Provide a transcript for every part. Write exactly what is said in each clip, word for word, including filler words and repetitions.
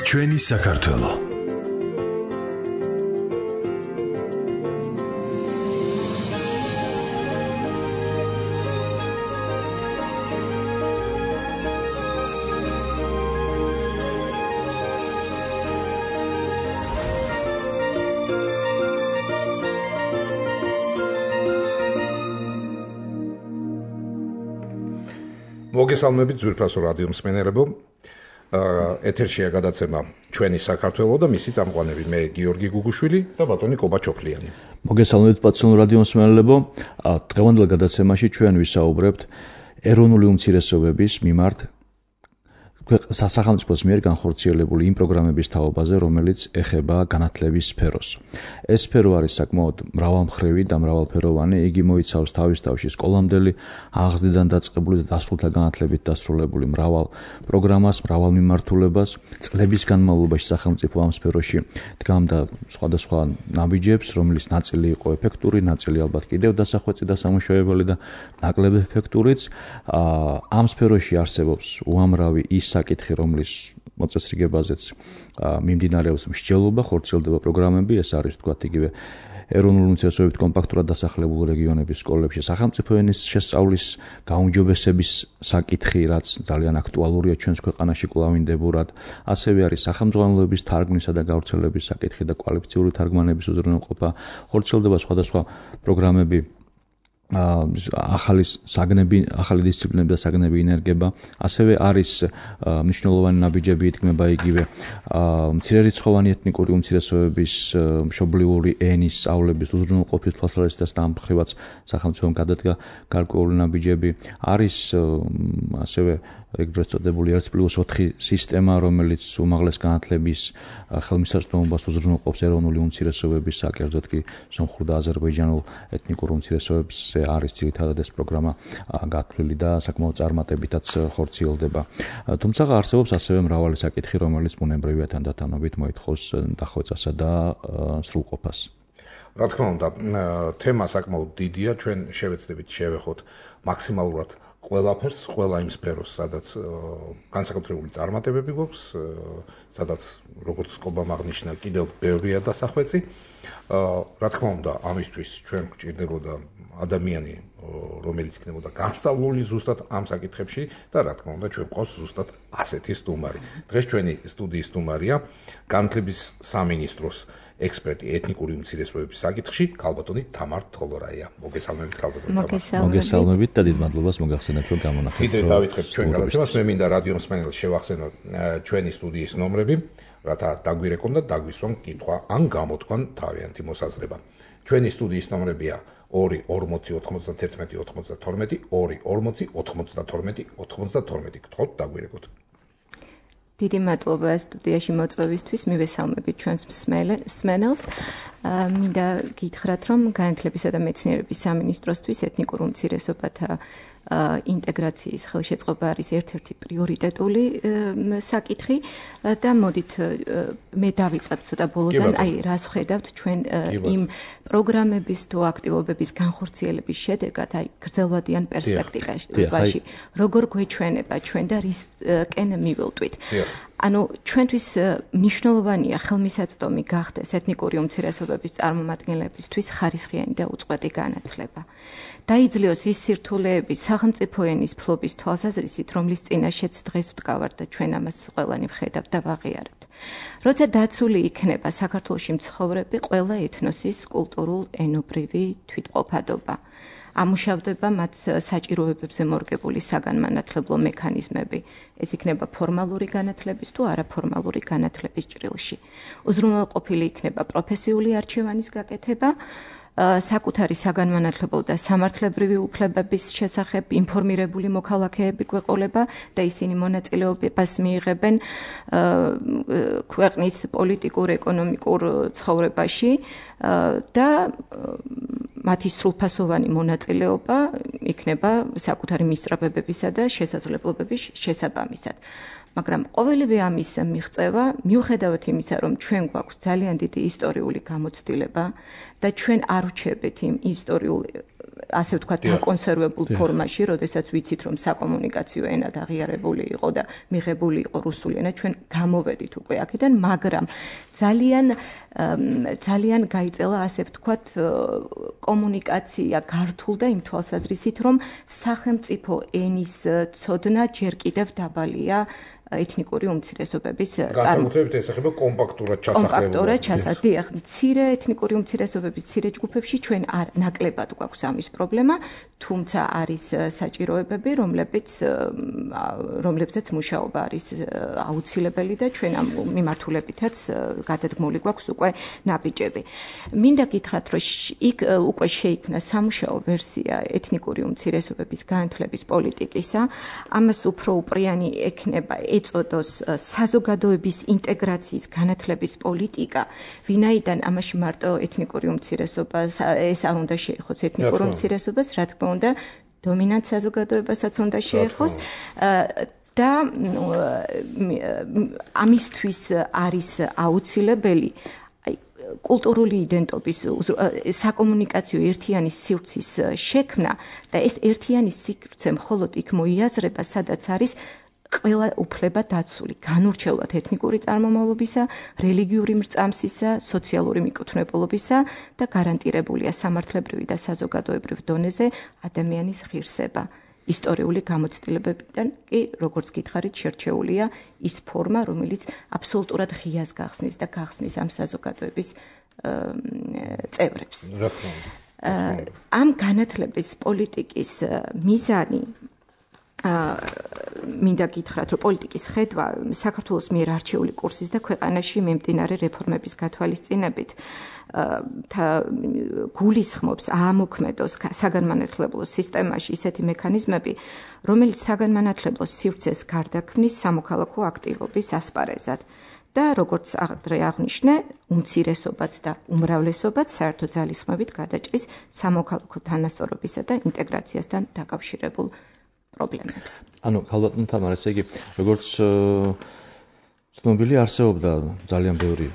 ჩვენი საქართველო. მოგესალმებით ძვირფასო რადიო მსმენელებო. ეთერშია გადაცემა ჩვენი საქართველო და მისი წამყვანები მე გიორგი გუგუშვილი და ბატონი კობაჩოფლიანი. მოგესალმებით პაციონალ რადიო მსმენელებო. დღევანდელ გადაცემაში ჩვენ ვისაუბრებთ ეროვნული უმცირესობების მიმართ სახელმწიფოს მიერ განხორციელებული იმ პროგრამების თაობაზე, რომელიც ეხება განათლების სფეროს. ეს სფერო არის საკმაოდ მრავალმხრივი და მრავალფეროვანი. იგი მოიცავს თავის თავში სკოლამდელი, აღზრდიდან დაწყებული და დასრულთა განათლებით დასრულებული მრავალ პროგრამას, მრავალ მიმართულებას. წლების განმავლობაში სახელმწიფო ამ სფეროში დგამდა სხვადასხვა ნაბიჯებს, რომელიც ნაწილი იყო ეფექტური, ნაწილი ალბათ კიდევ დასახვეწი და სამუშაოებელი და ნაკლები ეფექტურიც. ამ სფეროში არსებობს უამრავი ის საკითხი, რომლის მოწესრიგებაზეც მიმდინარეობს მსჯელობა, ხორციელდება პროგრამები, ეს არის თქვათ იგივე ეროვნული უმცირესობებით კომპაქტურად დასახლებულ რეგიონების სკოლებში სახელმწიფო ენის შესწავლის გაუმჯობესების საკითხი, რაც ძალიან აქტუალურია ჩვენს ქვეყანაში კვლავინდებურად. ასევე არის სახელმძღვანელოების თარგმნისა და გავრცელების საკითხი და კვალიფიციური თარგმანების უზრუნველყოფა. ხორციელდება სხვადასხვა პროგრამები, ახალი საგნები, ახალი დისციპლინები და საგნები ინერგება. ასევე არის მნიშვნელოვანი ნაბიჯები, ითქმება იგივე მცირერიცხოვანი ეთნიკური უმცირესობების მშობლიური ენის სწავლების უზრუნველყოფის თვალსაზრისით ამ მხრივაც სახელმწიფომ გადადგა გარკვეული ნაბიჯები. არის ასევე ეგრეთ წოდებული ერთ პლუს ოთხი სისტემა, რომელიც უმაღლეს განათლების ხელმისაწვდომობას უზრუნველყოფს ეროვნული უმცირესობების, კერძოდ კი სომხურ და აზერბაიჯანულ ეთნიკურ უმცირესობებს არის ძირითადად ეს პროგრამა გათვლილი და საკმაოდ წარმატებითაც ხორციელდება. თუმცა არსებობს ასევე მრავალი საკითხი, რომელიც ბუნებრივია თანდათანობით მოითხოვს დახვეწასა და სრულყოფას. რა თქმა უნდა, თემა საკმაოდ დიდია, ჩვენ შევეცდებით შევეხოთ მაქსიმალურად ყველაფერს, ყველა იმ სფეროს, სადაც განსაკუთრებული წარმატებები გვაქვს, სადაც როგორც კობამ აღნიშნა, კიდევ ბევრია დასახვეწი. რა თქმა უნდა, ამისთვის ჩვენ გვჭირდებოდა ადამიანი, რომელიც იქნებოდა განსწავლული ზუსტად ამ საკითხებში და რა თქმა უნდა, ჩვენ გვყავს ზუსტად ასეთი სტუმარი. დღეს ჩვენი სტუდიის სტუმარია განათლების სამინისტროს ექსპერტი ეთნიკური უმცირესობების საკითხში, ქალბატონი თამარ თოლორაია. მოგესალმებით ქალბატონი თამარ. მოგესალმებით და დიდ მადლობას მოგახსენებთ, რომ გამონახეთ. კიდევ დავიწყებთ ჩვენ გადაცემას. მე მინდა რადიო მსმენელს შევახსენო ჩვენი სტუდიის ნომრები, რათა დაგვირეკონ და დაგვისვან კითხვა ან გამოთქვან თავიანთი მოსაზრება. ჩვენი სტუდიის ნომრებია ორი ორმოცი ოთხმოცდათერთმეტი ოთხმოცდათორმეტი, ორი ორმოცი ოთხმოცდათორმეტი ოთხმოცდათორმეტი. გთხოვთ დაგვირეკოთ. დიდი მადლობა სტუდიაში მოწვევისთვის, მივესალმებით ჩვენს მსმენელს. მინდა გითხრათ, რომ განათლებისა და მეცნიერების სამინისტროსთვის ეთნიკურ უმცირესობათა ინტეგრაციის ხელშეწყობა არის ერთ-ერთი პრიორიტეტული საკითხი და მოდით მე დავიწყებ ცოტა ბოლოდან, აი რას ხედავთ ჩვენ იმ პროგრამების თუ აქტივობების განხორციელების შედეგად, აი გრძელვადიან პერსპექტივაში, როგორ გვეჩვენება ჩვენ და რისკენ მივილტვით. ანუ ჩვენთვის მნიშვნელოვანია ხელმისაწვდომი გახდეს ეთნიკური უმცირესობების წარმომადგენლებისთვის ხარისხიანი და უწყვეტი განათლება. დაიძლიოს ის სირთულეები სახელმწიფო ენის ფლობის თვალსაზრისით, რომლის წინაშეც დღეს ვდგავართ და ჩვენ ამას ყველანი ვხედავთ და ვაღიარებთ. როცა დაცული იქნება საქართველოში მცხოვრები ყველა ეთნოსის კულტურულ ენობრივი თვითმყოფადობა. ამუშავდება მათ საჭიროებებზე მორგებული საგანმანათლებლო მექანიზმები. ეს იქნება ფორმალური განათლების თუ არაფორმალური განათლების ჭრილში. უზრუნველყოფილი იქნება პროფესიული არჩევანის გაკეთება, საკუთარი საგანმანათლებლო და სამართლებრივი უფლებების შესახებ ინფორმირებული მოქალაქეები გვეყოლება და ისინი მონაწილეობას მიიღებენ ქვეყნის პოლიტიკურ, ეკონომიკურ ცხოვრებაში და მათი სრულფასოვანი მონაწილეობა იქნება საკუთარი მისწრაფებებისა და შესაძლებლობების შესაბამისად. მაგრამ ყოველივე ამის მიღწევა, მიუხედავად იმისა, რომ ჩვენ გვაქვს ძალიან დიდი ისტორიული გამოცდილება და ჩვენ არ ვჩერდით იმ ისტორიულ ასე ვთქვათ, დაკონსერვებულ ფორმაში, როდესაც ვიცით, რომ საკომუნიკაციო ენად აღიარებული იყო და მიღებული იყო რუსული ენა, ჩვენ გამოვედით უკვე აქედან, მაგრამ ძალიან ძალიან გაიწელა, ასე ვთქვათ, კომუნიკაცია გართულდა იმ თვალსაზრისით, რომ სახელმწიფო ენის ცოდნა ჯერ კიდევ დაბალია ეთნიკური უმცირესობების განსაკუთრებით ესახება კომპაქტურად ჩასახლებულობას. კომპაქტურად ჩასახლებულებას. მცირე ეთნიკური უმცირესობების მცირე ჯგუფებში ჩვენ არ ნაკლებად გვაქვს ამის პრობლემა, თუმცა არის საჭიროებები, რომლებიც რომლებზეც მუშაობა არის აუცილებელი და ჩვენ ამ მიმართულებითაც გადადგმული გვაქვს უკვე ნაბიჯები. მინდა გითხრათ, რომ იქ უკვე შეიქმნა სამუშაო ვერსია ეთნიკური უმცირესობების განათლების პოლიტიკისა, ამას უფრო უპრიანი ექნება ეწოდოს საზოგადოების ინტეგრაციის განათლების პოლიტიკა, ვინაიდან ამაში მარტო ეთნიკური უმცირესობა ეს არ უნდა შეეხოს ეთნიკურ უმცირესობას, რა თქმა უნდა, დომინანტ საზოგადოებასაც უნდა შეეხოს და ამისთვის არის აუცილებელი კულტურული იდენტობის საკომუნიკაციო ერთიანი სივრცის შექმნა და ეს ერთიანი სივრცე მხოლოდ იქ მოიაზრება, სადაც არის ყველა უფლება დაცული, განურჩევლად ეთნიკური წარმომავლობისა, რელიგიური მრწამსისა, სოციალური მიკუთვნებულობისა და გარანტირებულია სამართლებრივი და საზოგადოებრივ დონეზე ადამიანის ღირსება. ისტორიული გამოცდილებებიდან კი, როგორც გითხარით, შერჩეულია ის ფორმა, რომელიც აბსოლუტურად ღიას გახსნის და გახსნის ამ საზოგადოების წევრებს. ამ განათლების პოლიტიკის მიზანი მინდა გითხრათ, რომ პოლიტიკის ხედვა საქართველოს მიერ არჩეული კურსის და ქვეყანაში მიმდინარე რეფორმების გათვალისწინებით გულისხმობს აამოქმედოს საგანმანათლებლო სისტემაში ისეთი მექანიზმები, რომელიც საგანმანათლებლო სივრცეს გარდაქმნის სამოქალაქო აქტივობის ასპარეზად. და როგორც ადრე აღნიშნე, უმცირესობაც და უმრავლესობაც საერთო ძალისხმევით გადაჭრის სამოქალაქო თანასწორობისა და ინტეგრაციასთან დაკავშირებულ პრობლემებს. ანუ ქალბატონ თამარ, ესე იგი, როგორც ცნობილი არსებობდა ძალიან ბევრი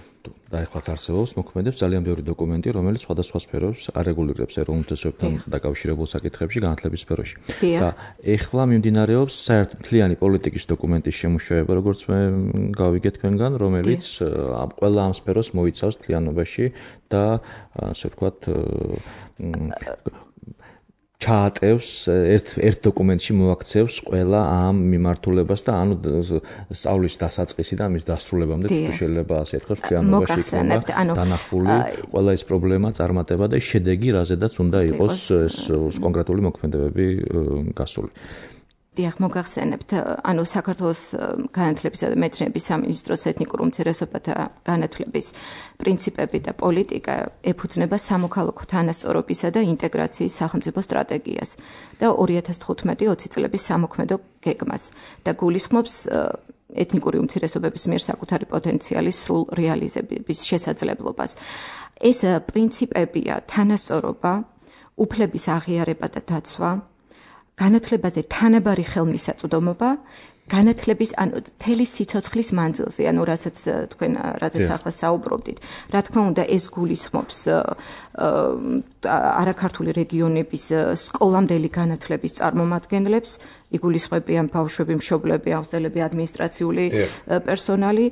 და ეხლაც არსებობს მოქმედებს ძალიან ბევრი დოკუმენტი, რომელიც სხვადასხვა სფეროს არეგულირებს ეროვნულ ინტერესებთან დაკავშირებულ საკითხებში განათლების სფეროში. და ეხლა მიმდინარეობს საერთო მთლიანი პოლიტიკის დოკუმენტის შემუშავება, როგორც მე გავიგე თქვენგან, რომელიც ყველა ამ სფეროს მოიცავს მთლიანობაში და ასე ვთქვათ ჩაატევს ერთ ერთ დოკუმენტში მოაქცევს ყველა ამ მიმართულებას და ანუ სწავლის დასაწყისი და მის დასრულებამდე თუ შეიძლება ასე ვთქვათ მთლიანობაში იქნება დანახული ყველა ეს პრობლემა, წარმატება და შედეგი, რაზედაც უნდა იყოს ეს კონკრეტული მოქმედებები გასული. დიახ, მოგახსენებთ, ანუ საქართველოს განათლებისა და მეცნიერების სამინისტროს ეთნიკურ უმცირესობათა განათლების პრინციპები და პოლიტიკა ეფუძნება სამოქალაქო თანასწორობისა და ინტეგრაციის სახელმწიფო სტრატეგიას და ორი ათას თხუთმეტი ოცი წლების სამოქმედო გეგმას და გულისხმობს ეთნიკური უმცირესობების მიერ საკუთარი პოტენციალის სრულ რეალიზების შესაძლებლობას. ეს პრინციპებია თანასწორობა, უფლების აღიარება და დაცვა, განათლებაზე თანაბარი ხელმისაწვდომობა, განათლების ანუ თელი სიცოცხლის მანძილზე, ანუ რასაც თქვენ რაზეც ახლა საუბრობდით. რა თქმა უნდა, ეს გულისხმობს არაქართული რეგიონების სკოლამდელი განათლების წარმომადგენლებს, იგულისხმებიან ბავშვები, მშობლები, აღზრდელები, ადმინისტრაციული პერსონალი,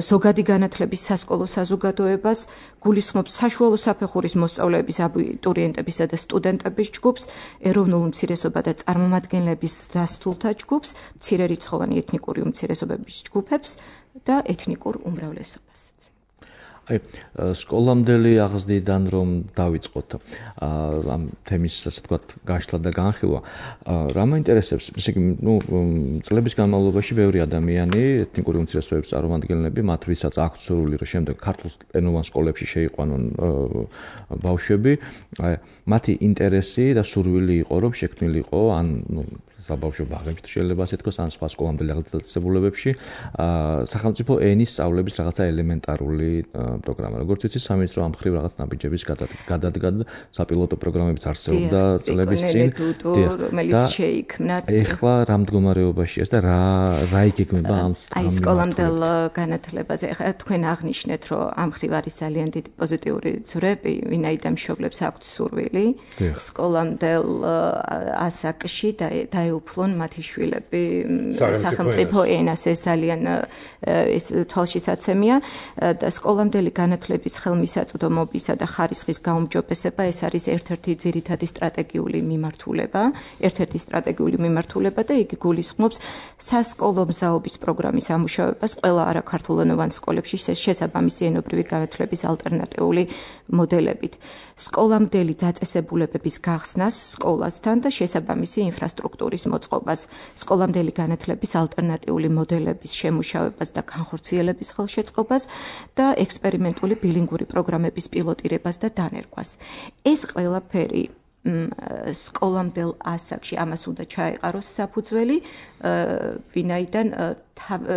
ზოგადი განათლების სასკოლო საზოგადოებას, გულისხმობს საშუალო საფეხურის მოსწავლეების, აბიტურიენტებისა და სტუდენტების ჯგუფს, ეროვნულ უმცირესობა და წარმომადგენლების დასთულთა ჯგუფს, მცირერიცხოვანი ეთნიკური უმცირესობების ჯგუფებს და ეთნიკურ უმრავლესობას. აი, სკოლამდელი აღზრდიდან რომ დავიწყოთ ამ თემის, ასე ვთქვათ, გაშლა და განხილვა, რა მაინტერესებს, ესე იგი, ნუ წლების განმავლობაში ბევრი ადამიანი, ეთნიკური უმცირესობების წარმომადგენლები, მათ ვისაც აქვთ სურვილი, რომ შემდეგ ქართულენოვან სკოლებში შეიყვანონ ბავშვები, მათი ინტერესი და სურვილი იყო, რომ შექმნილიყო ან საბავშვო ბაღებში შეიძლება ასე თქოს, ან სხვა სკოლამდელი დაწესებულებებში, სახელმწიფო ენის სწავლების რაღაცა ელემენტარული პროგრამა. როგორც ვიცი, სამინისტრო ამ მხრივ რაღაც ნაბიჯების გადადგა და საპილოტო პროგრამებიც არსებობდა წლების წინ. რომელიც შეიქმნა. ეხლა რა მდგომარეობაშია და რა რა იგეგმება ამ აი სკოლამდელ განათლებაზე. ეხლა თქვენ აღნიშნეთ, რომ ამ მხრივ არის ძალიან დიდი პოზიტიური ძვრები, ვინაიდან მშობლებს აქვთ სურვილი სკოლამდელ ასაკში და დაეუფლონ მათი შვილები სახელმწიფო ენას. ეს ძალიან ეს თვალშისაცემია და სკოლამდელი განათლების ხელმისაწვდომობისა და ხარისხის გაუმჯობესება ეს არის ერთ-ერთი ძირითადი სტრატეგიული მიმართულება, ერთ-ერთი სტრატეგიული მიმართულება და იგი გულისხმობს სასკოლო მზაობის პროგრამის ამუშავებას ყველა არაქართულენოვან სკოლებში შესაბამისი ენობრივი განათლების ალტერნატიული მოდელებით. სკოლამდელი დაწესებულებების გახსნას სკოლასთან და შესაბამისი ინფრასტრუქტურის მოწყობას, სკოლამდელი განათლების ალტერნატიული მოდელების შემუშავებას და განხორციელების ხელშეწყობას და ექსპერიმენტული ბილინგური პროგრამების პილოტირებას და დანერგვას. ეს ყველაფერი სკოლამდელ ასაკში ამას უნდა ჩაეყაროს საფუძველი, ვინაიდან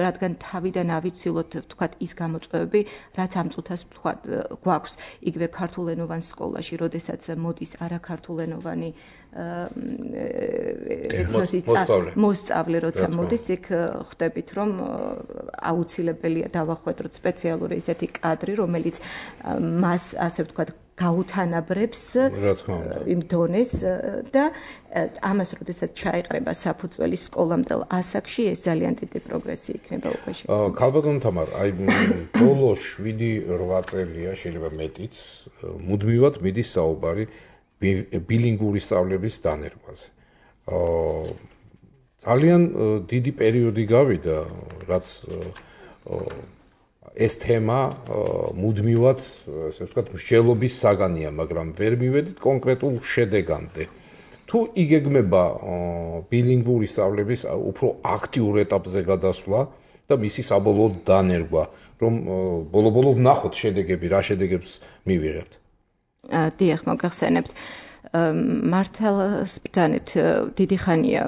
რადგან თავიდან ავიცილოთ ვთქვათ ის გამოწვევები, რაც ამ წუთას ვთქვათ გვაქვს იგივე ქართულენოვან სკოლაში, როდესაც მოდის არაქართულენოვანი ეთნოსის მოსწავლე, როცა მოდის, იქ ხვდებით, რომ აუცილებელია დავახვედროთ სპეციალური ესეთი კადრი, რომელიც მას ასე ვთქვათ გაუთანაბრებს იმ დონეს და ამას როდესაც ჩაეყრება საფუძველი სკოლამდელ ასაკში, ეს ძალიან დიდი პროგრესი იქნება უკვე შექმნილი. ქალბატონ თამარ, აი ბოლო შვიდი რვა წელია, შეიძლება მეტიც, მუდმივად მიდის საუბარი ბილინგური სწავლების დანერგვაზე. ძალიან დიდი პერიოდი გავიდა, რაც ეს თემა მუდმივად, ასე ვთქვათ, მსჯელობის საგანია, მაგრამ ვერ მივედით კონკრეტულ შედეგამდე. თუ იგეგმება ბილინგური სწავლების უფრო აქტიურ ეტაპზე გადასვლა და მისი საბოლოო დანერგვა, რომ ბოლო-ბოლო ვნახოთ შედეგები, რა შედეგებს მივიღებთ. დიახ, მოგახსენებთ. მართალს ბრძანებთ, დიდი ხანია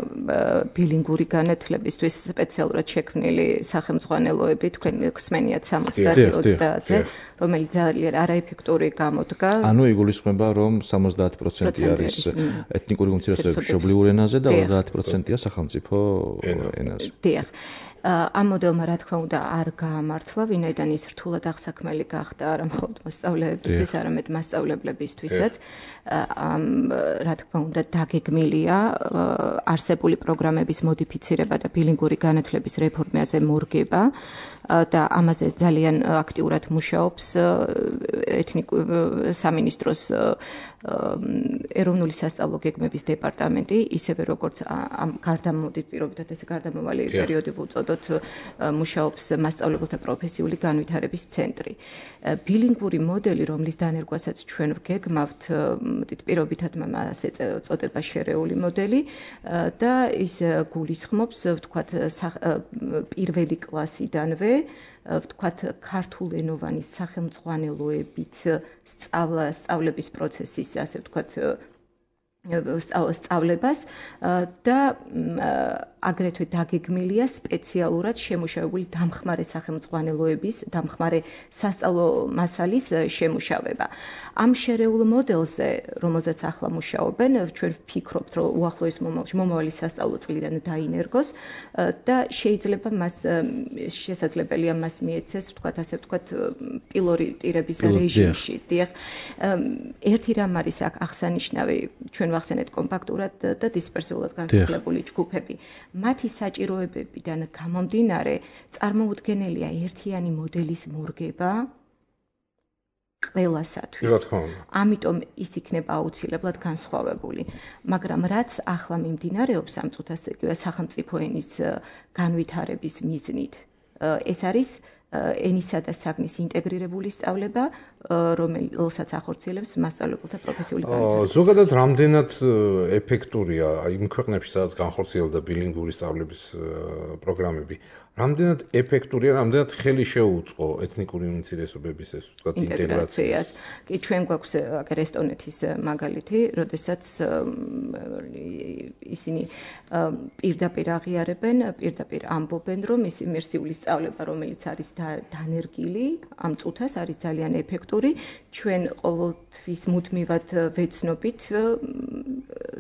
ბილინგური განათლებისთვის სპეციალურად შექმნილი სახელმძღვანელოები, თქვენ ხსმენიათ სამოცდაათი ოცდაათზე, რომელიც ძალიან არაეფექტური გამოდგა. ანუ იგულისხმება, რომ სამოცდაათი პროცენტი არის ეთნიკური უმცირესობების მშობლიურ ენაზე და ოცდაათი პროცენტია სახელმწიფო ენაზე. დიახ. ამ მოდელმა რა თქმა უნდა არ გაამართლა, ვინაიდან ის რთულად აღსაქმელი გახდა არა მხოლოდ მოსწავლეებისთვის, არამედ მასწავლებლებისთვისაც. ამ რა თქმა უნდა დაგეგმილია არსებული პროგრამების მოდიფიცირება და ბილინგური განათლების რეფორმაზე მორგება და ამაზე ძალიან აქტიურად მუშაობს ეთნიკური სამინისტროს ეროვნული სასწავლო გეგმების დეპარტამენტი, ისევე როგორც ამ გარდამოდი პირობითად ეს გარდამავალი პერიოდი ვუწოდოთ, მუშაობს მასწავლებელთა პროფესიული განვითარების ცენტრი. ბილინგური მოდელი, რომლის დანერგვასაც ჩვენ ვგეგმავთ, მოდით პირობითად ასე წოდება შერეული მოდელი და ის გულისხმობს, ვთქვათ, პირველი კლასიდანვე ვთქვათ, ქართულენოვანი სახელმძღვანელოებით სწავლების პროცესის, ასე ვთქვათ, სწავლებას და აგრეთვე დაგეგმილია სპეციალურად შემუშავებული დამხმარე სახელმძღვანელოების, დამხმარე სასწავლო მასალის შემუშავება. ამ შერეულ მოდელზე, რომელზეც ახლა მუშაობენ, ჩვენ ვფიქრობთ, რომ უახლოეს მომავალში მომავალი სასწავლო წლიდან დაინერგოს და შეიძლება მას შესაძლებელია მას მიეცეს, ვთქვათ, ასე ვთქვათ, პილოტირების რეჟიმში. დიახ, ერთი რამ არის აქ აღსანიშნავი, ჩვენ ვახსენეთ კომპაქტურად და დისპერსიულად განსახლებული ჯგუფები. მათი საჭიროებებიდან გამომდინარე, წარმოუდგენელია ერთიანი მოდელის მორგება ყველასათვის. ამიტომ ის იქნება აუცილებლად განსხვავებული. მაგრამ რაც ახლა მიმდინარეობს ამ წუთას, სახელმწიფო ენის განვითარების მიზნით, ეს არის ენისა და საგნის ინტეგრირებული სწავლება, რომელსაც ახორციელებს მასწავლებელთა პროფესიული განათლება. ზოგადად რამდენად ეფექტურია იმ ქვეყნებში, სადაც განხორციელდა ბილინგური სწავლების პროგრამები, რამდენად ეფექტურია, რამდენად ხელი შეუწყო ეთნიკური უმცირესობების ეს ვთქვათ ინტეგრაციას. კი, ჩვენ გვაქვს აქ ესტონეთის მაგალითი, როდესაც ისინი პირდაპირ აღიარებენ, პირდაპირ ამბობენ, რომ ის იმერსიული სწავლება, რომელიც არის დანერგილი ამ წუთას, არის ძალიან ეფექტური. ჩვენ ყოველთვის მუდმივად ვეცნობით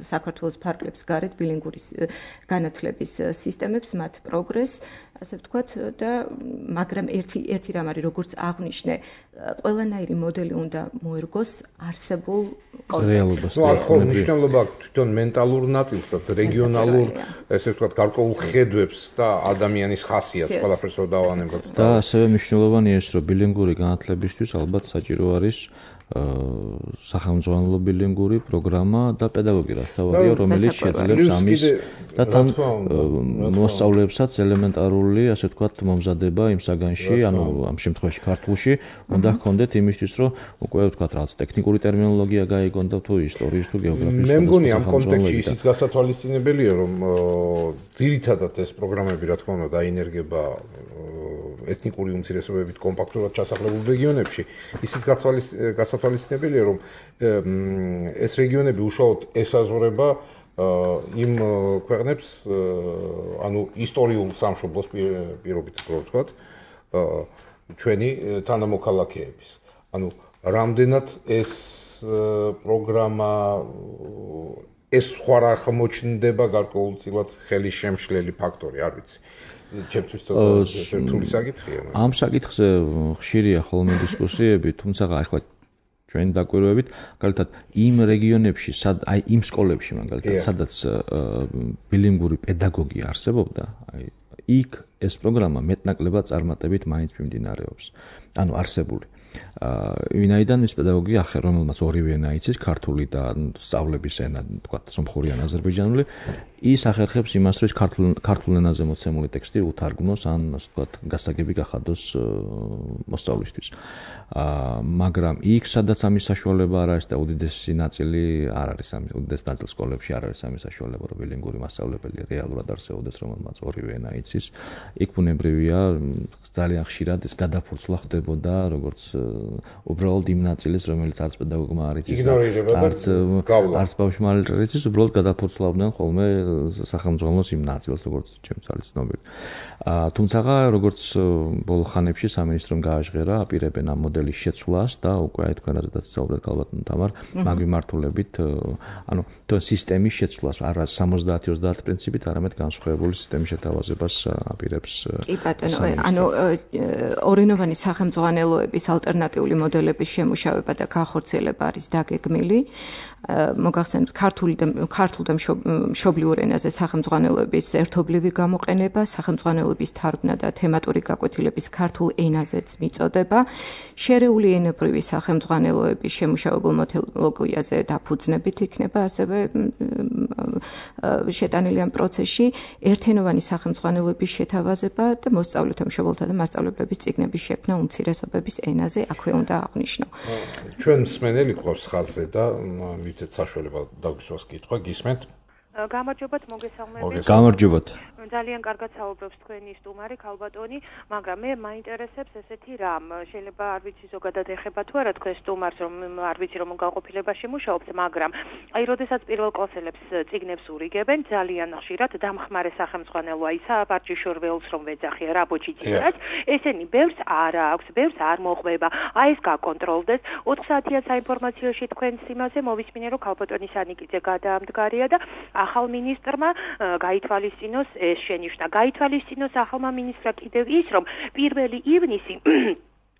საქართველოს ფარგლებს გარეთ ბილინგური განათლების სისტემებს, მათ პროგრესს, ასე ვთქვათ, და მაგრამ ერთი ერთი რამ არის, როგორც აღნიშნე, ყველანაირი მოდელი უნდა მოერგოს არსებულ კონტექსტს. ნუ ახლა მნიშვნელობა აქვს თვითონ მენტალურ ნაწილსაც, რეგიონალურ, ესე ვთქვათ, გარკვეულ ხედვებს და ადამიანის ხასიათს ყველაფერს რო დავანებოთ. და ასევე მნიშვნელოვანია ის, რომ ბილინგური განათლებისთვის ალბათ საჭირო არის სახელმძღვანელო ბილინგური პროგრამა და პედაგოგი რა თავია, რომელიც შეძლებს ამის და თან მოსწავლეებსაც ელემენტარული, ასე ვთქვათ, მომზადება იმ საგანში, ანუ ამ შემთხვევაში ქართულში უნდა ჰქონდეთ იმისთვის, რომ უკვე ვთქვათ, რაღაც ტექნიკური ტერმინოლოგია გაიგონ და თუ ისტორიის თუ გეოგრაფიის. მე მგონი ამ კონტექსტში ისიც გასათვალისწინებელია, რომ ძირითადად ეს პროგრამები, რა თქმა უნდა, დაინერგება ეთნიკური უმცირესობებით კომპაქტურად ჩასახლებულ რეგიონებში. ისიც გასათვალისწინებელია, რომ ეს რეგიონები უშუალოდ ესაზღვრება იმ ქვეყნებს, ანუ ისტორიულ სამშობლოს პირობით, რო ვთქვათ, ჩვენი თანამოქალაქეების. ანუ რამდენად ეს პროგრამა ეს სხვა რა ხმოჩნდება გარკვეულწილად ხელის შემშლელი ფაქტორი, არ ვიცი. ჩემთვის რთული საკითხია. ამ საკითხზე ხშირია ხოლმე დისკუსიები, თუმცა ახლა ჩვენ დაკვირვებით, მაგალითად იმ რეგიონებში, აი იმ სკოლებში, მაგალითად, სადაც ბილინგური პედაგოგი არსებობდა, აი იქ ეს პროგრამა მეტნაკლებად წარმატებით მაინც მიმდინარეობს. ანუ არსებული. ვინაიდან ის პედაგოგი ახერ, რომელმაც ორივე ენა იცის, ქართული და სწავლების ენა, თქვათ, სომხური ან აზერბაიჯანული, ის ახერხებს იმას, რომ ქართულ ქართულ ენაზე მოცემული ტექსტი უთარგმნოს, ან ასე ვთქვათ, გასაგები გახადოს მოსწავლისთვის. მაგრამ იქ, სადაც ამის საშუალება არ არის და უდიდესი ნაწილი არ არის ამის, უდიდესი ნაწილი სკოლებში არ არის ამის საშუალება, რომ ბილინგური მასწავლებელი რეალურად არსებობდეს, რომელმაც ორივე ენა იცის, იქ ბუნებრივია, ძალიან ხშირად ეს გადაფურცლა ხდებოდა, როგორც უბრალოდ იმ ნაწილის, რომელიც არც პედაგოგმა არ იცის, არც არც ბავშვმა არ იცის, უბრალოდ გადაფურცლავდნენ ხოლმე სახელმძღვანელოს იმ ნაწილს, როგორც ჩემს არის ცნობილი. თუმცა, როგორც ბოლო ხანებში სამინისტრომ გააჟღერა, აპირებენ ამ მოდელის შეცვლას და უკვე აი თქვენ რაზედაც საუბრობთ ალბათ თამარ, მაგ მიმართულებით, ანუ თუ სისტემის შეცვლას, არა სამოცდაათი ოცდაათი პრინციპით, არამედ განსხვავებული სისტემის შეთავაზებას აპირებს. კი ბატონო, ანუ ორენოვანი სახელმძღვანელოების ალტერნატიული მოდელების შემუშავება და განხორციელება არის დაგეგმილი. მოგახსენებთ, ქართული და ქართულ და მშობლიურ ენაზე სახელმძღვანელოების ერთობლივი გამოყენება, სახელმძღვანელოების თარგმნა და თემატური გაკვეთილების ქართულ ენაზეც მიწოდება, შერეული ენებრივი სახელმძღვანელოების შემუშავებულ მეთოდოლოგიაზე დაფუძნებით იქნება ასევე შეტანილი ამ პროცესში, ერთენოვანი სახელმძღვანელოების შეთავაზება და მოსწავლეთა, მშობელთა და მასწავლებლების წიგნების შექმნა უმცირესობების ენაზე, აქვე უნდა აღნიშნო. ჩვენ მსმენელი გვყავს ხაზზე და მიცეთ საშუალება დაგვისვას კითხვა, გისმენთ? გამარჯობათ, მოგესალმებით. გამარჯობათ. ძალიან კარგად საუბრობს თქვენი სტუმარი ქალბატონი, მაგრამ მე მაინტერესებს ესეთი რამ, შეიძლება არ ვიცი ზოგადად ეხება თუ არა თქვენ სტუმარს, რომ არ ვიცი რომ განყოფილებაში მუშაობთ, მაგრამ აი როდესაც პირველ კლასელებს წიგნებს ურიგებენ, ძალიან ხშირად დამხმარე სახელმძღვანელო აი საბარჯიშორ ველს რომ ვეძახია რა ბოჭიძიაც, ესენი ბევრს არ აქვს, ბევრს არ მოყვება, აი ეს გაკონტროლდეს, ოთხ საათიან საინფორმაციოში თქვენს იმაზე მოვისმინე რომ ქალბატონი სანიკიძე გადაამდგარია და ახალ მინისტრმა გაითვალისწინოს ეს შენიშვნა. გაითვალისწინოს ახალმა მინისტრმა კიდევ ის, რომ პირველი ივნისი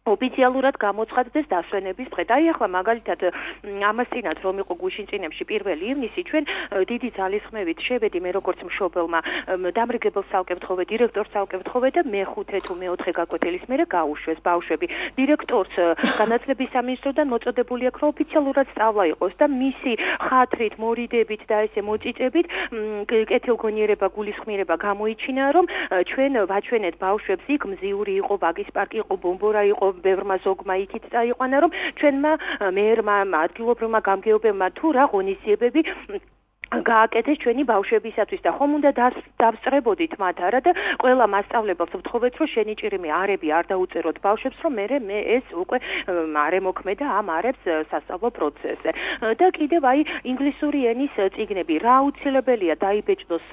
ოფიციალურად გამოცხადდეს დასვენების დღე. და ახლა მაგალითად ამასთანავე რომ იყო გუშინწინებში პირველი ივნისი, ჩვენ დიდი ძალისხმევით შევედი მე როგორც მშობელმა დამრიგებელ სალკევთხოვე, დირექტორს სალკევთხოვე და მეხუთე თუ მეოთხე გაკვეთილის მერე გაუშვეს ბავშვები. დირექტორს განათლების სამინისტროდან მოწოდებული აქვს, რომ ოფიციალურად სწავლა იყოს და მისი ხათრით, მორიდებით და ესე მოწიწებით კეთილგონიერება, გულისხმიერება გამოიჩინა, რომ ჩვენ ვაჩვენეთ ბავშვებს იქ მზიური იყო, ვაგის პარკი იყო, ბომბორა იყო, ბევრმა ზოგმა იქით წაიყვანა, რომ ჩვენმა მერმა, ადგილობრივმა გამგეობებმა თუ რა ღონისძიებები გააკეთეს ჩვენი ბავშვებისათვის და ხომ უნდა დავსწრებოდით მათ არა და ყველა მასწავლებელს ვთხოვეთ, რომ შენი ჭირიმი არები არ დაუწეროთ ბავშვებს, რომ მე მე ეს უკვე არ ემოქმედა ამ არებს სასწავლო პროცესზე. და კიდევ აი ინგლისური ენის წიგნები რა აუცილებელია დაიბეჭდოს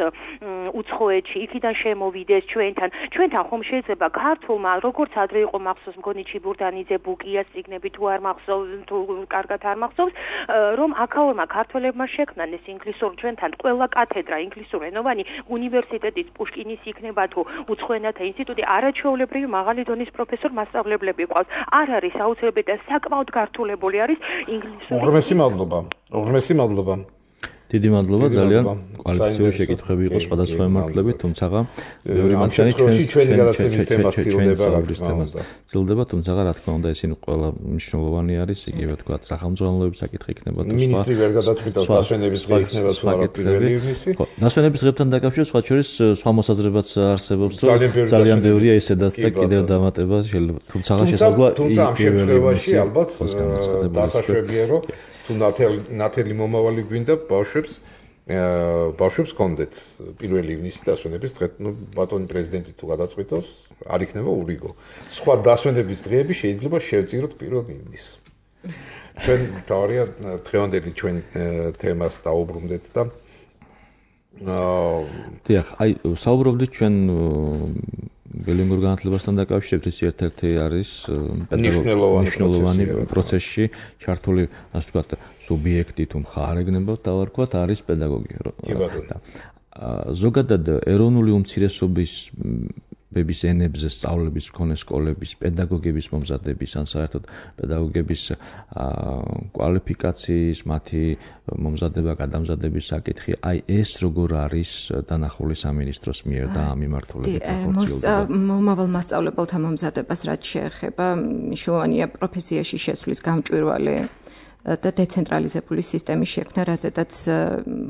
უცხოეთში, იქიდან შემოვიდეს ჩვენთან. ჩვენთან ხომ შეიძლება ქართულმა, როგორც ადრე იყო მახსოვს მგონი ჩიბურდანიძე ბუკიას წიგნები თუ არ მახსოვს, თუ კარგად არ მახსოვს, რომ აქაურმა ქართველებმა შექმნან ეს ინგლისური ჩვენთან ყველა კათედრა ინგლისურენოვანი უნივერსიტეტის პუშკინის იქნება თუ უცხო ენათა ინსტიტუტი არაჩვეულებრივი მაღალი დონის პროფესორ მასწავლებლები ყავს. არ არის აუცილებელი და საკმაოდ გართულებული არის ინგლისური. უღრმესი მადლობა. უღრმესი მადლობა. დიდი მადლობა, ძალიან კვალიფიციური შეკითხვები იყო სხვადასხვა მიმართულებით, თუმცა ბევრი მათგანი ჩვენი გადაცემის თემა ცდილდება, რა თქმა უნდა. ცდილდება, თუმცა რა თქმა უნდა, ისინი ყველა მნიშვნელოვანი არის, იგივე თქვა, სახელმძღვანელოების საკითხი იქნება თუ სხვა. მინისტრი ვერ გადაწყვიტავს დასვენების დღე იქნება თუ არა პირველი ივნისი. დასვენების დღესთან დაკავშირებით სხვა შორის სხვა მოსაზრებაც არსებობს, რომ ძალიან ბევრია ისედაც და კიდევ დამატება შეიძლება, თუმცა შესაძლოა თუმცა ამ შემთხვევაში ალბათ დასაშვებია, რომ თუ ნათელი მომავალი გვინდა ბავშვებს ბავშვებს კონდეთ პირველი ივნისი დასვენების დღე, ну ბატონი პრეზიდენტი თუ გადაწყვიტავს, არ იქნება ურიგო. სხვა დასვენების დღეები შეიძლება შევწიროთ პირველ ივნისს. ჩვენ თავია დღევანდელი ჩვენ თემას დაუბრუნდეთ და დიახ, აი საუბრობდით ჩვენ ბილინგურ განათლებასთან დაკავშირებით, ეს ერთ-ერთი არის მნიშვნელოვანი პროცესში ჩართული, ასე ვთქვათ, სუბიექტი თუ მხარე გნებავთ დავარქვათ, არის პედაგოგი. ზოგადად ეროვნული უმცირესობის ბების ენებზე სწავლების მქონე სკოლების, პედაგოგების მომზადების, ან საერთოდ პედაგოგების კვალიფიკაციის, მათი მომზადება, გადამზადების საკითხი, აი ეს როგორ არის დანახული სამინისტროს მიერ და ამ მიმართულებით ხორციელდება? მომავალ მასწავლებელთა მომზადებას რაც შეეხება, მნიშვნელოვანია პროფესიაში შესვლის გამჭვირვალე და დეცენტრალიზებული სისტემის შექმნა, რაზედაც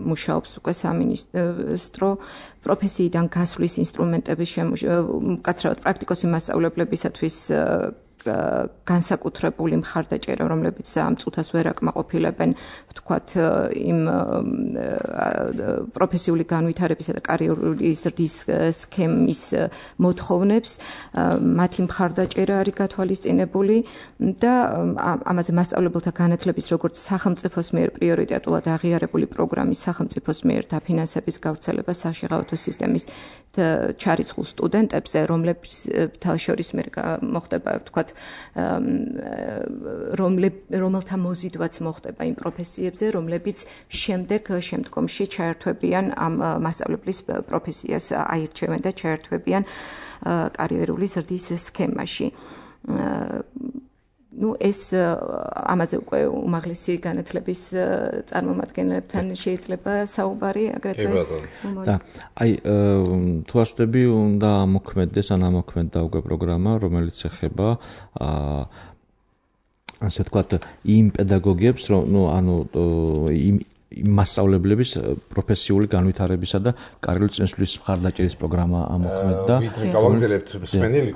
მუშაობს უკვე სამინისტრო პროფესიიდან გასვლის ინსტრუმენტების მკაცრავად პრაქტიკოსი მასწავლებლებისათვის განსაკუთრებული მხარდაჭერა, რომლებიც ამ წუთას ვერ აკმაყოფილებენ, ვთქვათ, იმ პროფესიული განვითარებისა და კარიერული ზრდის სქემის მოთხოვნებს, მათი მხარდაჭერა არის გათვალისწინებული და ამაზე მასწავლებელთა განათლების როგორც სახელმწიფოს მიერ პრიორიტეტულად აღიარებული პროგრამის სახელმწიფოს მიერ დაფინანსების გავრცელება საშიღავათო სისტემის ჩარიცხულ სტუდენტებზე, რომლებთან შორის მე მოხდება, ვთქვათ, რომელთა მოზიდვაც მოხდება იმ პროფესიებზე, რომლებიც შემდეგ შემდგომში ჩაერთვებიან ამ მასწავლებლის პროფესიას, აირჩევენ და ჩაერთვებიან კარიერული ზრდის სქემაში. ну ეს ამაზე უკვე უმაღლესი განათლების წარმომადგენლებთან შეიძლება საუბარი აგრეთვე. და აი თუ ასწრები უნდა ამოქმედდეს ან ამოქმედდა უკვე პროგრამა, რომელიც ეხება ასე ვთქვათ იმ პედაგოგებს, რომ ну ანუ იმ მასწავლებლების პროფესიული განვითარებისა და კარიერული წინსვლის მხარდაჭერის პროგრამა ამოქმედდა. გავაგზავნებთ მსმენელი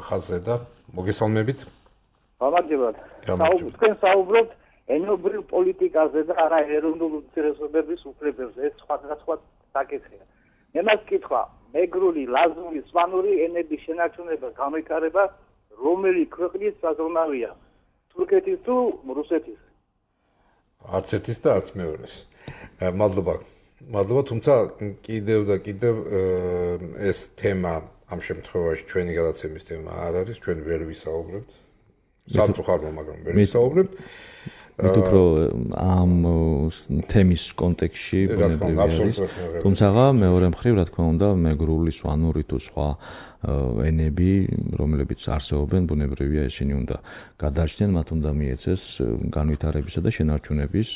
ხაზზე და მოგესალმებით. გამარჯობათ. თქვენ საუბრობთ ენობრივ პოლიტიკაზე და არა ეროვნულ უმცირესობების უფლებებზე. ეს სხვადასხვა საკითხია. მე მას კითხვა, მეგრული, ლაზური, სვანური ენების შენარჩუნება, განვითარება რომელი ქვეყნის საზრუნავია? თურქეთის თუ რუსეთის? არც ერთის და არც მეორეს. მადლობა. მადლობა, თუმცა კიდევ და კიდევ ეს თემა ამ შემთხვევაში ჩვენი გადაცემის თემა არ არის, ჩვენ ვერ ვისაუბრებთ. სამწუხაროდ, მაგრამ ვერ ვისაუბრებთ. მით უფრო ამ თემის კონტექსტში ბუნებრივია. თუმცა მეორე მხრივ, რა თქმა უნდა, მეგრული, სვანური თუ სხვა ენები, რომლებიც არსებობენ, ბუნებრივია ისინი უნდა გადარჩნენ, მათ უნდა მიეცეს განვითარებისა და შენარჩუნების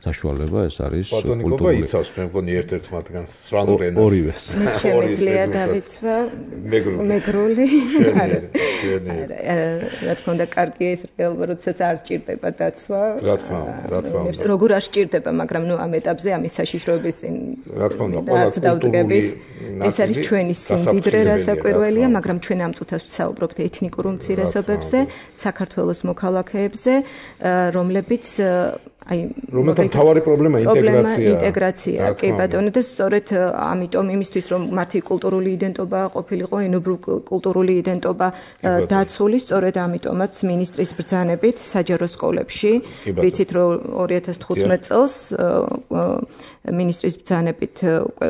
საშუალება, ეს არის კულტურული. ბატონიკობა იცავს, მე მგონი ერთ-ერთ მათგანს სრანულ ენას. ორივეს. მე შემიძლია დავიცვა მეგრული. რა თქმა უნდა, კარგია ეს რეალურად, როდესაც არ სჭირდება დაცვა. რა თქმა უნდა, რა თქმა უნდა. როგორ არ სჭირდება, მაგრამ ნუ ამ ეტაპზე ამის საშიშროების წინ რა თქმა უნდა, ყველა კულტურული ეს არის ჩვენი სიმდიდრე, რასაკვირველია, მაგრამ ჩვენ ამ წუთას ვსაუბრობთ ეთნიკურ უმცირესობებზე, საქართველოს მოქალაქეებზე, რომლებიც აი რომელთა მთავარი პრობლემა ინტეგრაციაა. ინტეგრაცია, კი ბატონო, და სწორედ ამიტომ იმისთვის რომ მათი კულტურული იდენტობა ყოფილიყო, ენობრივ კულტურული იდენტობა დაცული, სწორედ ამიტომაც მინისტრის ბრძანებით საჯარო სკოლებში, ვიცით რომ ორი ათას თხუთმეტ წელს მინისტრის ბრძანებით უკვე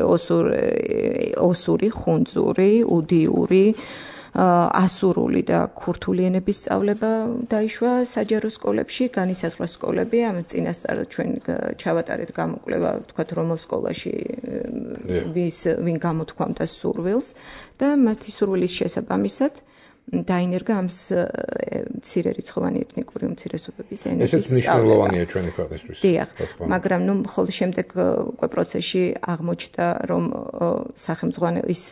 ოსური, ხუნძური, უდიური ასურული და ქურთული ენების სწავლება დაიშვა საჯარო სკოლებში, განისაზღვრა სკოლები, ამ წინასწარ ჩვენ ჩავატარეთ გამოკვლევა, თქვათ რომელ სკოლაში ვის ვინ გამოთქვამდა სურვილს და მათი სურვილის შესაბამისად დაინერგა ამ მცირერიცხოვანი ეთნიკური უმცირესობების ენების ესეც მნიშვნელოვანია ჩვენი ქვეყნისთვის. დიახ, მაგრამ ნუ ხოლმე შემდეგ უკვე პროცესში აღმოჩნდა, რომ სახელმძღვანელის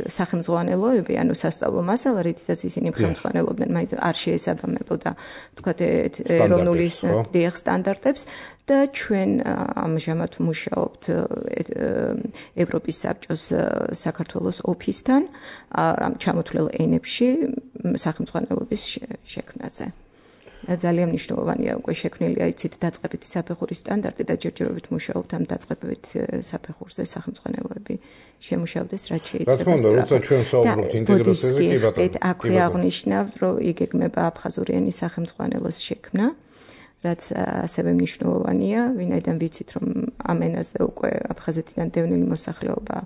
სახელმძღვანელოები, ანუ სასწავლო მასალა, რითაც ისინი ხელმძღვანელობდნენ, მაინც არ შეესაბამებოდა, თქვათ, ეროვნული დიახ სტანდარტებს და ჩვენ ამჟამად ვმუშაობთ ევროპის საბჭოს საქართველოს ოფისთან ამ ჩამოთვლელ ენებში სახელმძღვანელობის შექმნაზე. ძალიან მნიშვნელოვანია უკვე შექმნილია იცით დაწყებითი საფეხურის სტანდარტი და ჯერჯერობით მუშაობთ ამ დაწყებითი საფეხურზე სახელმძღვანელოები შემუშავდეს რაც შეიძლება. რა თქმა უნდა, როცა ჩვენ საუბრობთ ინტეგრაციაზე, კი ბატონო. აქვე აღნიშნავ, რომ იგეგმება აფხაზური ენის სახელმძღვანელოს შექმნა, რაც ასევე მნიშვნელოვანია, ვინაიდან ვიცით, რომ ამ ენაზე უკვე აფხაზეთიდან დევნილი მოსახლეობა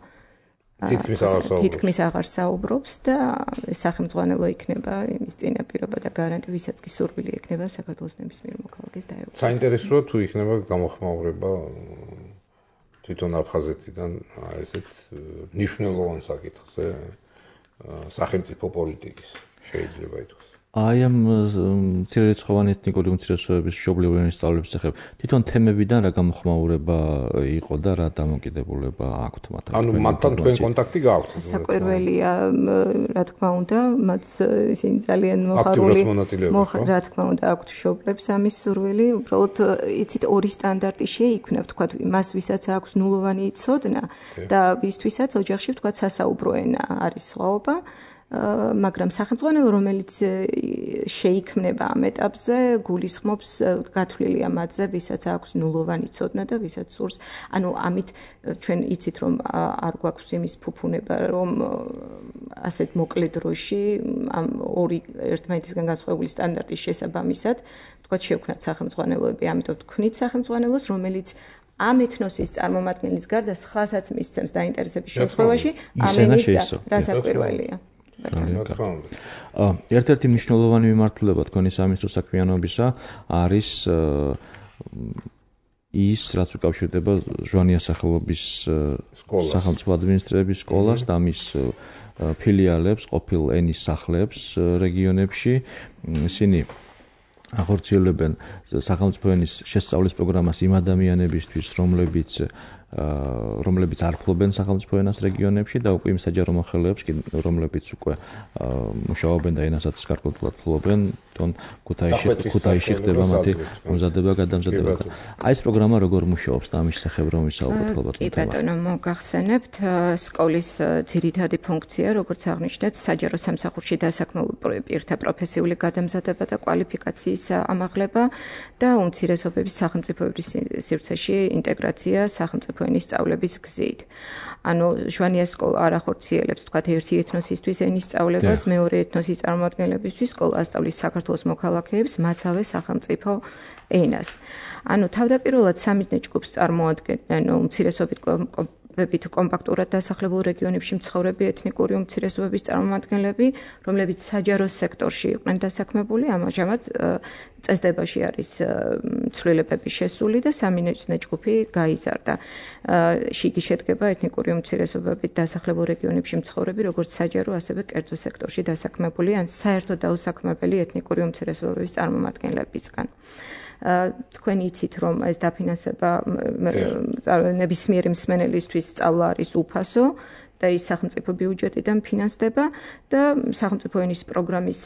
თითქმის აღარ საუბრობს და სახელმძღვანელო იქნება იმის წინაპირობა და გარანტი, ვისაც კი სურვილი ექნება საქართველოს ნებისმიერ მოქალაქეს დაეუფლოს. საინტერესოა თუ იქნება გამოხმაურება თვითონ აფხაზეთიდან ესეთ მნიშვნელოვან საკითხზე სახელმწიფო პოლიტიკის შეიძლება ითქვას. აი ამ მცირერიცხოვანი ეთნიკური უმცირესობების მშობლიური ენის სწავლების შესახებ თვითონ თემებიდან რა გამოხმაურება იყო და რა დამოკიდებულება აქვთ მათთან? ანუ მათთან თქვენ კონტაქტი გაქვთ? საკვირველია, რა თქმა უნდა, მათ ისინი ძალიან მოხარული რა თქმა უნდა აქვთ მშობლებს ამის სურვილი, უბრალოდ იცით ორი სტანდარტი შეიქმნა, ვთქვათ, მას ვისაც აქვს ნულოვანი ცოდნა და ვისთვისაც ოჯახში ვთქვათ სასაუბრო ენა არის სხვაობა. მაგრამ სახელმძღვანელო, რომელიც შეიქმნება ამ ეტაპზე, გულისხმობს გათვლილია მათზე, ვისაც აქვს ნულოვანი ცოდნა და ვისაც სურს. ანუ ამით ჩვენ იცით, რომ არ გვაქვს იმის ფუფუნება, რომ ასეთ მოკლე დროში ამ ორი ერთმანეთისგან განსხვავებული სტანდარტის შესაბამისად, თქვათ, შევქნათ სახელმძღვანელოები, ამიტომ თქვნით სახელმძღვანელოს, რომელიც ამ ეთნოსის წარმომადგენლის გარდა სხვასაც მისცემს დაინტერესების შემთხვევაში, ამ ენის რასაკვირველია. ერთ-ერთი მნიშვნელოვანი მიმართულება თქვენი სამინისტრო საქმიანობისა არის ის, რაც უკავშირდება ჟვანიას სახელობის სახელმწიფო ადმინისტრების სკოლას და მის ფილიალებს, ყოფილ ენის სახლებს რეგიონებში. ისინი ახორციელებენ სახელმწიფო ენის შესწავლის პროგრამას იმ ადამიანებისთვის, რომლებიც რომლებიც არ ფლობენ სახელმწიფო ენას რეგიონებში და უკვე იმ საჯარო მოხელეებს, რომლებიც უკვე მუშაობენ და ენასაც კარგად ფლობენ, თვითონ ქუთაისში ქუთაისში ხდება მათი მომზადება, გადამზადება. აი ეს პროგრამა როგორ მუშაობს და ამის შესახებ რომ ვისაუბროთ ალბათ. კი ბატონო, მოგახსენებთ, სკოლის ძირითადი ფუნქცია, როგორც აღნიშნეთ, საჯარო სამსახურში დასაქმებულ პირთა პროფესიული გადამზადება და კვალიფიკაციის ამაღლება და უმცირესობების სახელმწიფოების სივრცეში ინტეგრაცია სახელმწიფო ენის სწავლების გზით. ანუ ჟვანიას სკოლა არ ახორციელებს, თქვათ, ერთი ეთნოსისთვის ენის სწავლებას, მეორე ეთნოსის წარმომადგენლებისთვის სკოლა ასწავლის საქართველოს მოქალაქეებს მაცავე სახელმწიფო ენას. ანუ თავდაპირველად სამიზნე ჯგუფს წარმოადგენდნენ უმცირესობით ვებით კომპაქტურად დასახლებულ რეგიონებში მცხოვრები ეთნიკური უმცირესობების წარმომადგენლები, რომლებიც საჯარო სექტორში იყვნენ დასაქმებული, ამჟამად წესდებაში არის ცვლილებები შესული და სამინისტრო ჯგუფი გაიზარდა. იგი შედგება ეთნიკური უმცირესობებით დასახლებულ რეგიონებში მცხოვრები, როგორც საჯარო, ასევე კერძო სექტორში დასაქმებული ან საერთო დაუსაქმებელი ეთნიკური უმცირესობების წარმომადგენლებისგან. თქვენ იცით, რომ ეს დაფინანსება ნებისმიერი მსმენელისთვის სწავლა არის უფასო და ის სახელმწიფო ბიუჯეტიდან ფინანსდება და სახელმწიფო ენის პროგრამის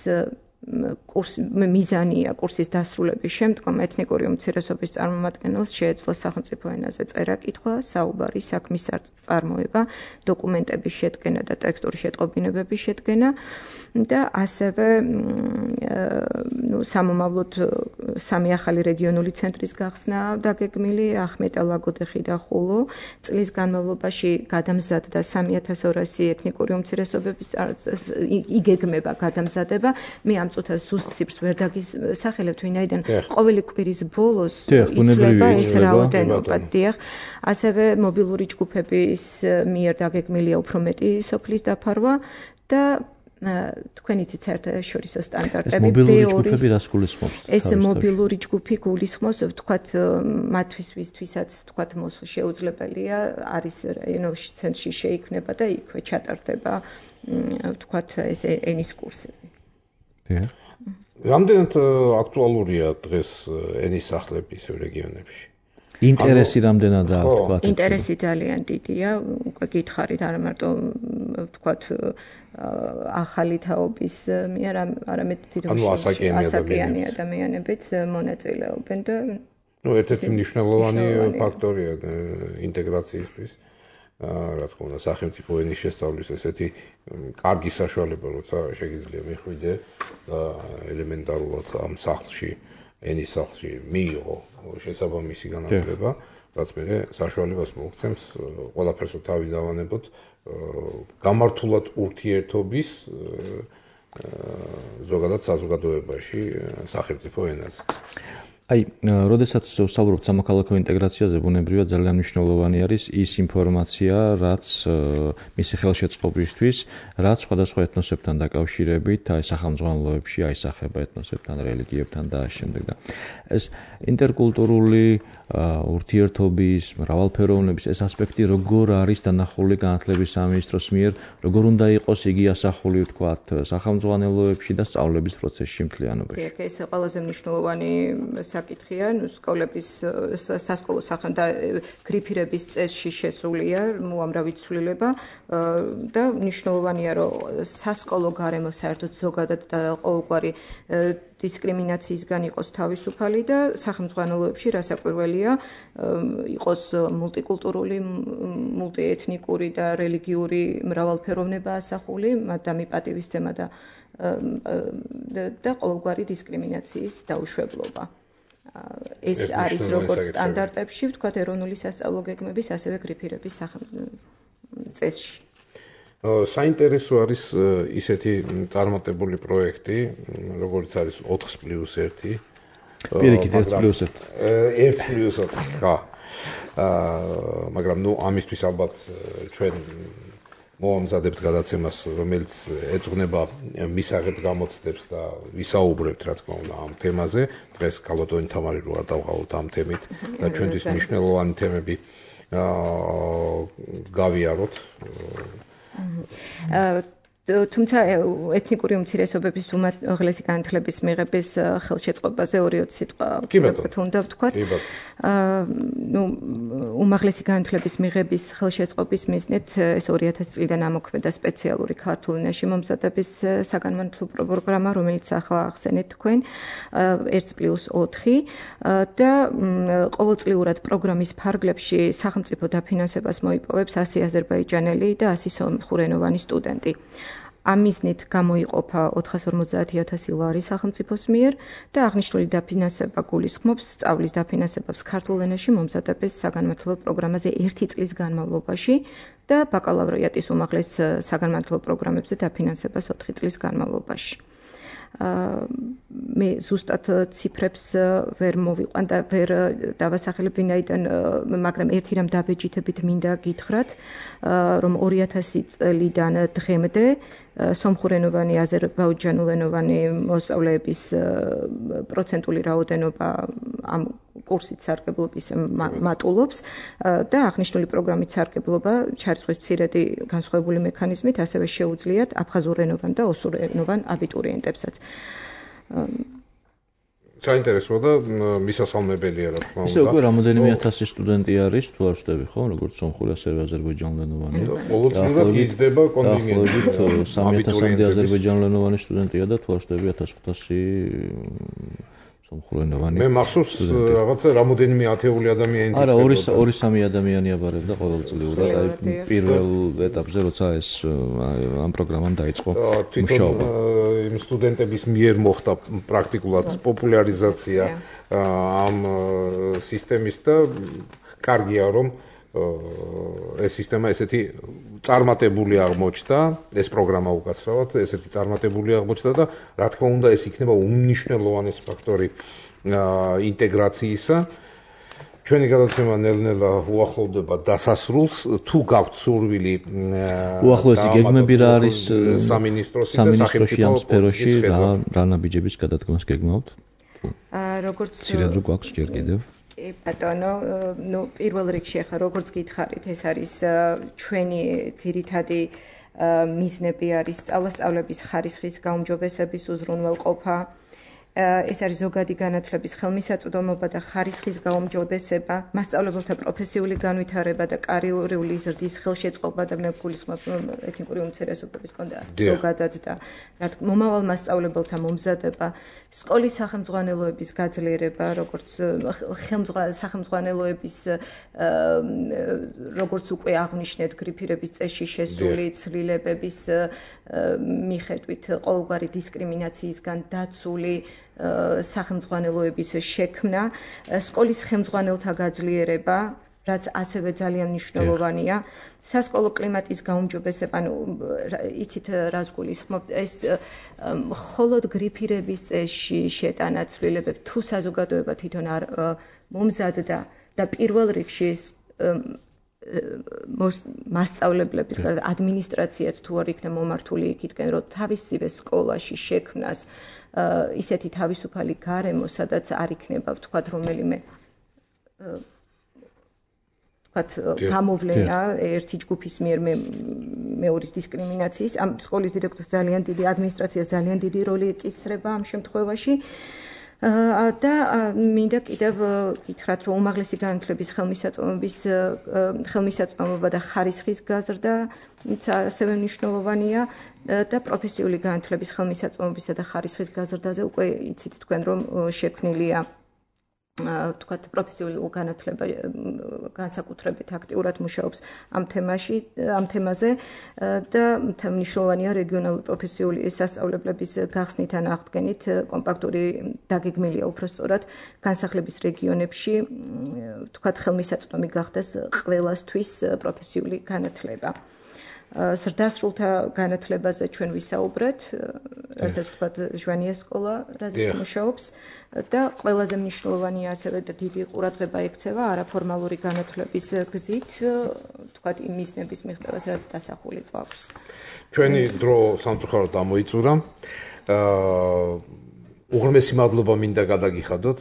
კურსი მიზანია კურსის დასრულების შემდგომ ეთნიკური უმცირესობის წარმომადგენელს შეეძლო სახელმწიფო ენაზე წერა-კითხვა, საუბარი, საქმის წარმოება, დოკუმენტების შედგენა და ტექსტური შეტყობინებების შედგენა და ასევე ნუ სამომავლოდ სამი ახალი რეგიონული ცენტრის გახსნა დაგეგმილი ახმეტა, ლაგოდეხი და ხულო. წლის განმავლობაში გადამზადდა სამი ათას ორასი ეთნიკური უმცირესობების იგეგმება გადამზადება. მე ამ წუთას ზუსტ ციფრს ვერ დაგისახელებთ, ვინაიდან ყოველი კვირის ბოლოს იცვლება ეს რაოდენობა. დიახ, ასევე მობილური ჯგუფების მიერ დაგეგმილია უფრო მეტი სოფლის დაფარვა და თქვენ იცით საერთაშორისო სტანდარტები. ეს მობილური ჯგუფები რას გულისხმობს? ეს მობილური ჯგუფი გულისხმობს, ვთქვათ, მათთვის ვისთვისაც ვთქვათ მოსვლა შეუძლებელია, არის რაიონში ცენტრში შეიქმნება და იქვე ჩატარდება ვთქვათ ეს ენის კურსები. რამდენად აქტუალურია დღეს ენის სახლები ისევ რეგიონებში? ინტერესი რამდენადაა ვთქვათ? ინტერესი ძალიან დიდია, უკვე გითხარით, არა მარტო ვთქვათ ახალი თაობის მიერ, არამედ ასაკიანი ადამიანებიც მონაწილეობენ და ნუ ერთ-ერთი მნიშვნელოვანი ფაქტორია ინტეგრაციისთვის. რა თქმა უნდა, სახელმწიფო ენის შესწავლის ესეთი კარგი საშუალება, როცა შეგიძლია მიხვიდე და ელემენტარულად ამ სახლში, ენის სახლში მიიღო შესაბამისი განათლება, რაც მე საშუალებას მოგცემს ყველაფერს თავი დავანებოთ გამართულად ურთიერთობის ზოგადად საზოგადოებაში სახელმწიფო ენაზე. აი, როდესაც ვსაუბრობთ სამოქალაქო ინტეგრაციაზე, ბუნებრივად ძალიან მნიშვნელოვანი არის ის ინფორმაცია, რაც მისი ხელშეწყობისთვის, რაც სხვადასხვა ეთნოსებთან დაკავშირებით, აი სახელმძღვანელოებში აისახება ეთნოსებთან, რელიგიებთან და ამ შემდეგ და ეს ინტერკულტურული ურთიერთობის, მრავალფეროვნების ეს ასპექტი როგორ არის დანახული განათლების სამინისტროს მიერ, როგორ უნდა იყოს იგი ასახული, ვთქვათ, სახელმძღვანელოებში და სწავლების პროცესში მთლიანობაში. დიახ, ეს ყველაზე მნიშვნელოვანი საკითხია, ნუ სკოლების სასკოლო სახელმდა გრიფირების წესში შესულია უამრავი ცვლილება და მნიშვნელოვანია, რომ სასკოლო გარემო საერთოდ ზოგადად და ყოველგვარი დისკრიმინაციისგან იყოს თავისუფალი და სახელმძღვანელოებში რასაკვირველია იყოს მულტიკულტურული, მულტიეთნიკური და რელიგიური მრავალფეროვნება ასახული, მადამი პატივისცემა და და ყოველგვარი დისკრიმინაციის დაუშვებლობა. ეს არის როგორც სტანდარტებში, ვთქვათ, ეროვნული სასწავლო გეგმების, ასევე გრიფირების წესში. საინტერესო არის ისეთი წარმატებული პროექტი, როგორც არის ოთხ პლუს ერთი. პირიქით ერთ პლუს ერთი. ერთ პლუს ოთხი, ხა. მაგრამ ნუ ამისთვის ალბათ ჩვენ მოამზადებთ გადაცემას, რომელიც ეძღვნება მისაღებ გამოცდებს და ვისაუბრებთ, რა თქმა უნდა, ამ თემაზე. დღეს ქალბატონი თამარი რო არ დავყავოთ ამ თემით და ჩვენთვის მნიშვნელოვანი თემები გავიაროთ. თუმცა ეთნიკური უმცირესობების უმაღლესი განათლების მიღების ხელშეწყობაზე ორი-ოც სიტყვა უნდა ვთქვათ. ნუ უმაღლესი განათლების მიღების ხელშეწყობის მიზნით ეს ორი ათასი წლიდან ამოქმედა სპეციალური ქართულ ენაში მომზადების საგანმანათლებლო პროგრამა, რომელიც ახლა ახსენეთ თქვენ, ერთ პლუს ოთხი და ყოველწლიურად პროგრამის ფარგლებში სახელმწიფო დაფინანსებას მოიპოვებს ასი აზერბაიჯანელი და ასი სომხურენოვანი სტუდენტი. ამ მიზნით გამოიყოფა ოთხას ორმოცდაათი ათასი ლარი სახელმწიფოს მიერ და აღნიშნული დაფინანსება გულისხმობს სწავლის დაფინანსებას ქართულ ენაში მომზადების საგანმანათლებლო პროგრამაზე ერთი წლის განმავლობაში და ბაკალავრიატის უმაღლეს საგანმანათლებლო პროგრამებზე დაფინანსებას ოთხი წლის განმავლობაში. მე ზუსტად ციფრებს ვერ მოვიყვან და ვერ დავასახელებ ვინაიდან, მაგრამ ერთი რამ დაბეჯითებით მინდა გითხრათ, რომ ორი ათასი წლიდან დღემდე სომხურენოვანი, აზერბაიჯანულენოვანი მოსწავლეების პროცენტული რაოდენობა ამ კურსით სარგებლობის მატულობს და აღნიშნული პროგრამით სარგებლობა ჩარიცხვის მცირედი განსხვავებული მექანიზმით ასევე შეუძლიათ აფხაზურენოვან და ოსურენოვან აბიტურიენტებსაც. საინტერესოა და მისასალმებელია რა თქმა უნდა. ისე უკვე რამოდენიმე ათასი სტუდენტი არის, თუ არ ვშტები ხო, როგორც სომხური, ასევე აზერბაიჯანულენოვანი. ყოველწლიურად იზრდება კონტინგენტი. სამი ათასამდე აზერბაიჯანულენოვანი სტუდენტია და თუ არ ვშტები ათას ხუთასი სომხურენოვანი. მე მახსოვს რაღაცა რამოდენიმე ათეული ადამიანი არა, ორი ორი სამი ადამიანი აბარებდა ყოველწლიურად. აი პირველ ეტაპზე როცა ეს ამ პროგრამამ დაიწყო მუშაობა. იმ სტუდენტების მიერ მოხდა პრაქტიკულად პოპულარიზაცია ამ სისტემის და კარგია რომ ეს სისტემა ესეთი წარმატებული აღმოჩნდა, ეს პროგრამა უკაცრავად ესეთი წარმატებული აღმოჩნდა და რა თქმა უნდა ეს იქნება უმნიშვნელოვანესი ფაქტორი ინტეგრაციისა. ჩვენი გადაცემა ნელ-ნელა უახლოვდება დასასრულს, თუ გაქვთ სურვილი უახლოესი გეგმები რა არის სამინისტროსი და სახელმწიფო სფეროში რა რა ნაბიჯების გადადგმას გეგმავთ? როგორც ცირად რო გვაქვს ჯერ კიდევ კი ბატონო, ნუ პირველ რიგში ახლა როგორც გითხარით, ეს არის ჩვენი ძირითადი მიზნები არის სწავლასწავლების ხარისხის გაუმჯობესების უზრუნველყოფა. ეს არის ზოგადი განათლების ხელმისაწვდომობა და ხარისხის გაუმჯობესება, მასწავლებელთა პროფესიული განვითარება და კარიერული ზრდის ხელშეწყობა და მე გულისხმობ ეთნიკური უმცირესობების კონდა ზოგადად და რა თქმა უნდა მომავალ მასწავლებელთა მომზადება, სკოლის სახელმძღვანელოების გაძლიერება, როგორც სახელმძღვანელოების როგორც უკვე აღნიშნეთ, გრიფირების წესში შესული ცვლილებების მიხედვით ყოველგვარი დისკრიმინაციისგან დაცული სახელმძღვანელოების შექმნა, სკოლის ხელმძღვანელთა გაძლიერება, რაც ასევე ძალიან მნიშვნელოვანია, სასკოლო კლიმატის გაუმჯობესება, ანუ იცით რას გულისხმობ, ეს მხოლოდ გრიფირების წესში შეტანა ცვლილებები თუ საზოგადოება თვითონ არ მომზადდა და პირველ რიგში მასწავლებლების გარდა ადმინისტრაციაც თუ არ იქნება მომართული იქითკენ, რომ თავისივე სკოლაში შექმნას ისეთი თავისუფალი გარემო, სადაც არ იქნება ვთქვათ რომელიმე ვთქვათ გამოვლენა ერთი ჯგუფის მიერ მეორის დისკრიმინაციის, ამ სკოლის დირექტორს ძალიან დიდი ადმინისტრაციას ძალიან დიდი როლი ეკისრება ამ შემთხვევაში. და მინდა კიდევ გითხრათ, რომ უმაღლესი განათლების ხელმისაწვდომობის ხელმისაწვდომობა და ხარისხის გაზრდა ასევე მნიშვნელოვანია და პროფესიული განათლების ხელმისაწვდომობისა და ხარისხის გაზრდაზე უკვე იცით თქვენ, რომ შექმნილია ვთქვათ პროფესიული განათლება განსაკუთრებით აქტიურად მუშაობს ამ თემაში, ამ თემაზე და მნიშვნელოვანია რეგიონალური პროფესიული სასწავლებლების გახსნით ან აღდგენით კომპაქტური დაგეგმილია უბრალოდ განსახლების რეგიონებში ვთქვათ ხელმისაწვდომი გახდეს ყველასთვის პროფესიული განათლება. ზრდასრულთა განათლებაზე ჩვენ ვისაუბრეთ, რასაც ვთქვათ ჟვანია სკოლა, რაზეც მუშაობს და ყველაზე მნიშვნელოვანია ასევე და დიდი ყურადღება ექცევა არაფორმალური განათლების გზით, ვთქვათ იმ მიზნების მიღწევას, რაც დასახული გვაქვს. ჩვენი დრო სამწუხაროდ ამოიწურა. უღრმესი მადლობა მინდა გადაგიხადოთ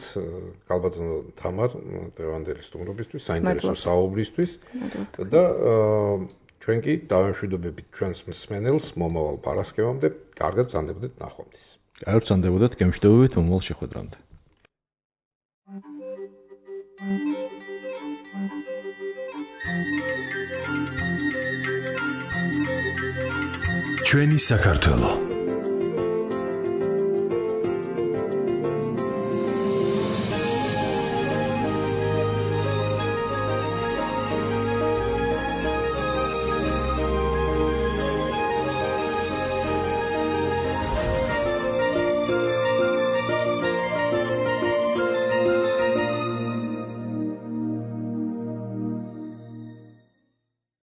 გალბატონო თამარ დევანდელის სტუმრობისთვის, საინტერესო საუბრისთვის და ჩვენ კი დავემშვიდობებით ჩვენს მსმენელს მომავალ პარასკევამდე, კარგად ბრძანდებოდეთ ნახვამდის. კარგად ბრძანდებოდეთ, გემშვიდობებით მომავალ შეხვედრამდე. ჩვენი საქართველო